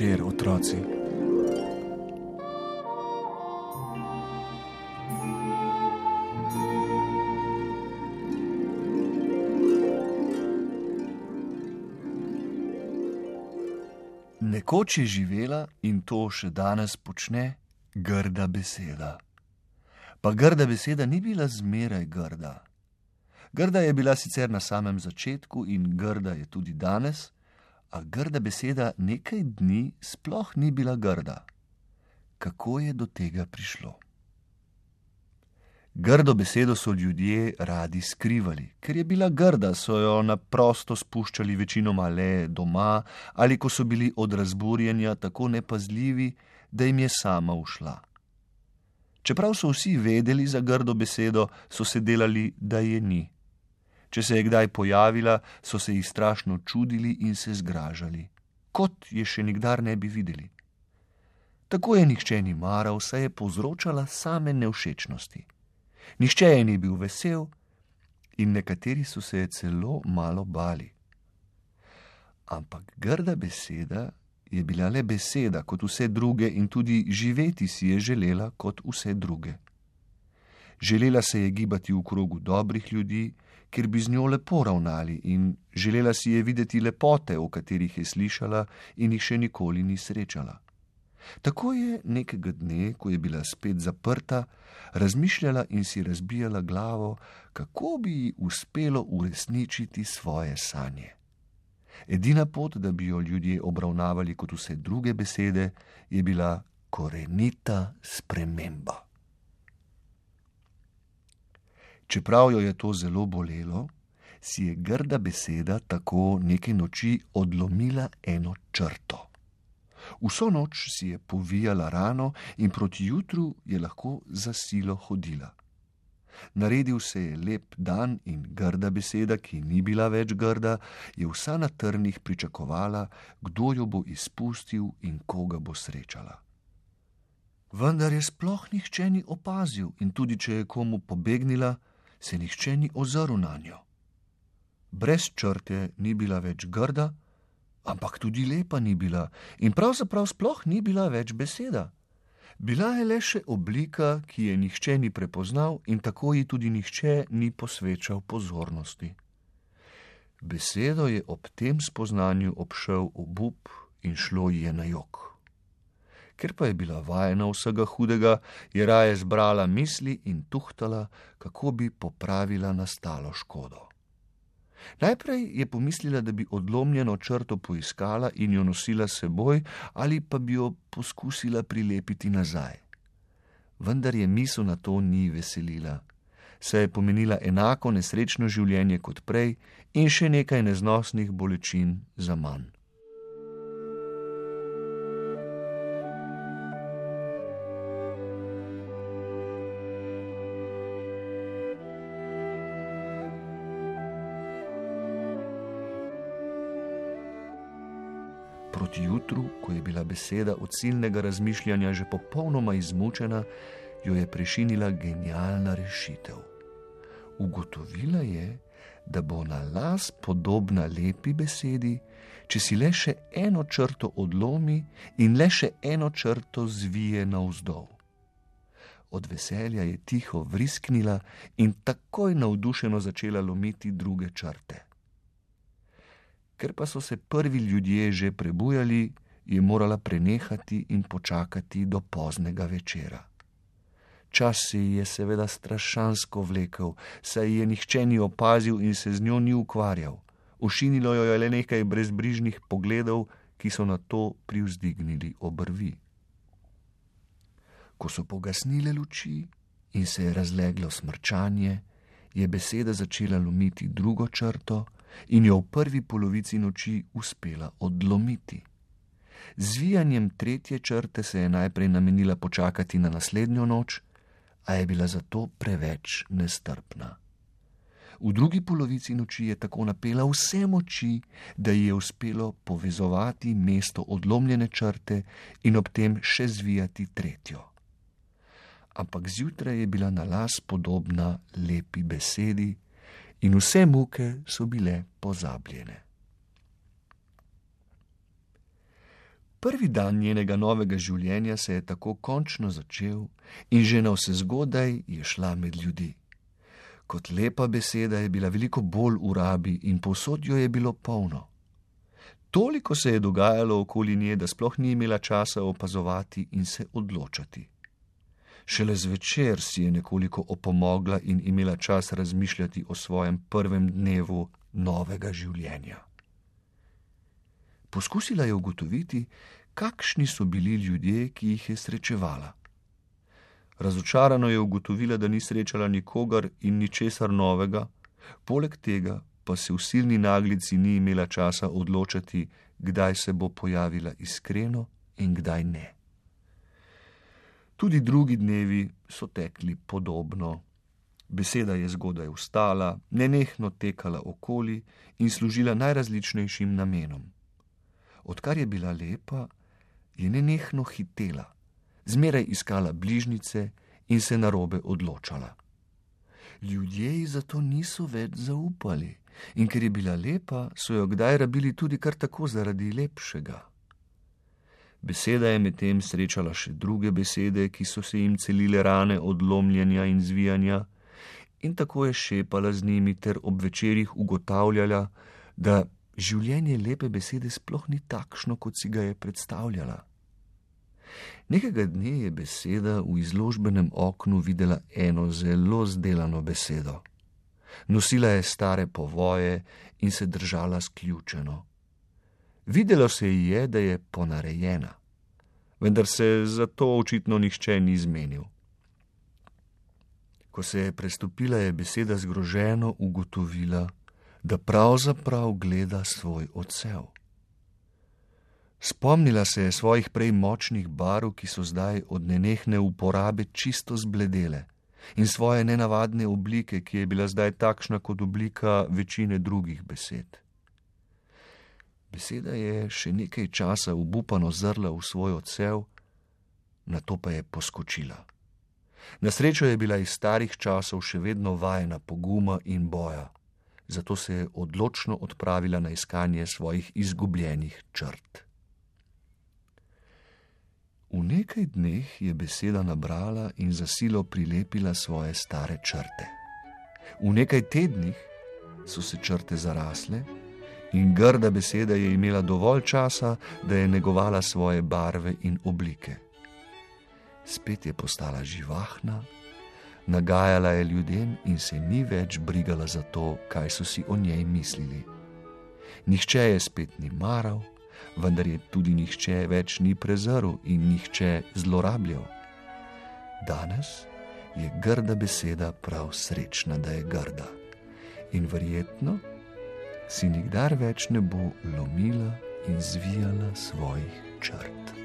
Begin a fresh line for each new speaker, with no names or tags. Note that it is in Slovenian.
večer, otroci. Nekoč je živela in to še danes počne grda beseda. Pa grda beseda ni bila zmeraj grda. Grda je bila sicer na samem začetku in grda je tudi danes, a grda beseda nekaj dni sploh ni bila grda. Kako je do tega prišlo? Grdo besedo so ljudje radi skrivali, ker je bila grda, so jo na prosto spuščali večinoma le doma ali ko so bili od razburjenja tako nepazljivi, da jim je sama ušla. Čeprav so vsi vedeli za grdo besedo, so se delali, da je ni. Če se je kdaj pojavila, so se ji strašno čudili in se zgražali, kot je še nikdar ne bi videli. Tako je nihče ni maral, saj je povzročala same nevšečnosti. Nihče je ni bil vesel in nekateri so se je celo malo bali. Ampak grda beseda je bila le beseda kot vse druge in tudi živeti si je želela kot vse druge. Želela se je gibati v krogu dobrih ljudi, kjer bi z njo lepo ravnali, in želela si je videti lepote, o katerih je slišala in jih še nikoli ni srečala. Tako je nekega dne, ko je bila spet zaprta, razmišljala in si razbijala glavo, kako bi ji uspelo uresničiti svoje sanje. Edina pot, da bi jo ljudje obravnavali kot vse druge besede, je bila korenita sprememba. Čeprav jo je to zelo bolelo, si je grda beseda tako neke noči odlomila eno črto. Vso noč si je povijala rano in proti jutru je lahko za silo hodila. Naredil se je lep dan in grda beseda, ki ni bila več grda, je vsa na trnih pričakovala, kdo jo bo izpustil in koga bo srečala. Vendar je sploh nihče ni opazil in tudi če je komu pobegnila, se nihče ni ozrl nanjo. Brez črte ni bila več grda, ampak tudi lepa ni bila in pravzaprav sploh ni bila več beseda. Bila je le še oblika, ki je nihče ni prepoznal in tako ji tudi nihče ni posvečal pozornosti. Besedo je ob tem spoznanju obšel obup in šlo ji je na jok. Ker pa je bila vajena vsega hudega, je raje zbrala misli in tuhtala, kako bi popravila nastalo škodo. Najprej je pomislila, da bi odlomljeno črto poiskala in jo nosila s seboj ali pa bi jo poskusila prilepiti nazaj. Vendar je misel na to ni veselila, saj je pomenila enako nesrečno življenje kot prej in še nekaj neznosnih bolečin za manj. Proti jutru, ko je bila beseda od silnega razmišljanja že popolnoma izmučena, jo je prešinila genialna rešitev. Ugotovila je, da bo na las podobna lepi besedi, če si le še eno črto odlomi in le še eno črto zvije navzdol. Od veselja je tiho vrisknila in takoj navdušeno začela lomiti druge črte. Ker pa so se prvi ljudje že prebujali, je morala prenehati in počakati do poznega večera. Čas se ji je seveda strašansko vlekel, saj je nihče ni opazil in se z njo ni ukvarjal. Ošinilo jo je le nekaj brezbrižnih pogledov, ki so na to privzdignili obrvi. Ko so pogasnile luči in se je razleglo smrčanje, je beseda začela lomiti drugo črto in jo v prvi polovici noči uspela odlomiti. Z zvijanjem tretje črte se je najprej namenila počakati na naslednjo noč, a je bila zato preveč nestrpna. V drugi polovici noči je tako napela vse moči, da ji je uspelo povezovati mesto odlomljene črte in ob tem še zvijati tretjo. Ampak zjutraj je bila na las podobna lepi besedi in vse muke so bile pozabljene. Prvi dan njenega novega življenja se je tako končno začel in že navsezgodaj je šla med ljudi. Kot lepa beseda je bila veliko bolj v rabi in povsod jo je bilo polno. Toliko se je dogajalo okoli nje, da sploh ni imela časa opazovati in se odločati. Šele zvečer si je nekoliko opomogla in imela čas razmišljati o svojem prvem dnevu novega življenja. Poskusila je ugotoviti, kakšni so bili ljudje, ki jih je srečevala. Razočarano je ugotovila, da ni srečala nikogar in ničesar novega, poleg tega pa se v silni naglici ni imela časa odločati, kdaj se bo pojavila iskreno in kdaj ne. Tudi drugi dnevi so tekli podobno. Beseda je zgodaj vstala, nenehno tekala okoli in služila najrazličnejšim namenom. Odkar je bila lepa, je nenehno hitela, zmeraj iskala bližnjice in se narobe odločala. Ljudje ji zato niso več zaupali in ker je bila lepa, so jo kdaj rabili tudi kar tako zaradi lepšega. Beseda je medtem srečala še druge besede, ki so se jim celile rane od lomljenja in zvijanja, in tako je šepala z njimi ter ob večerih ugotavljala, da življenje lepe besede sploh ni takšno, kot si ga je predstavljala. Nekega dne je beseda v izložbenem oknu videla eno zelo zdelano besedo. Nosila je stare povoje in se držala sključeno. Videlo se ji je, da je ponarejena, vendar se zato očitno nihče ni zmenil. Ko se je prestopila, je beseda zgroženo ugotovila, da pravzaprav gleda svoj odsev. Spomnila se je svojih prej močnih barv, ki so zdaj od nenehne uporabe čisto zbledele, in svoje nenavadne oblike, ki je bila zdaj takšna kot oblika večine drugih besed. Beseda je še nekaj časa obupano zrla v svoj odsev, nato pa je poskočila. Na srečo je bila iz starih časov še vedno vajena poguma in boja, zato se je odločno odpravila na iskanje svojih izgubljenih črt. V nekaj dneh je beseda nabrala in za silo prilepila svoje stare črte. V nekaj tednih so se črte zarasle in grda beseda je imela dovolj časa, da je negovala svoje barve in oblike. Spet je postala živahna, nagajala je ljudem in se ni več brigala za to, kaj so si o njej mislili. Nihče je spet ni maral, vendar je tudi nihče več ni prezrl in nihče zlorabljal. Danes je grda beseda prav srečna, da je grda in verjetno si nikdar več ne bo lomila in zvijala svojih črt.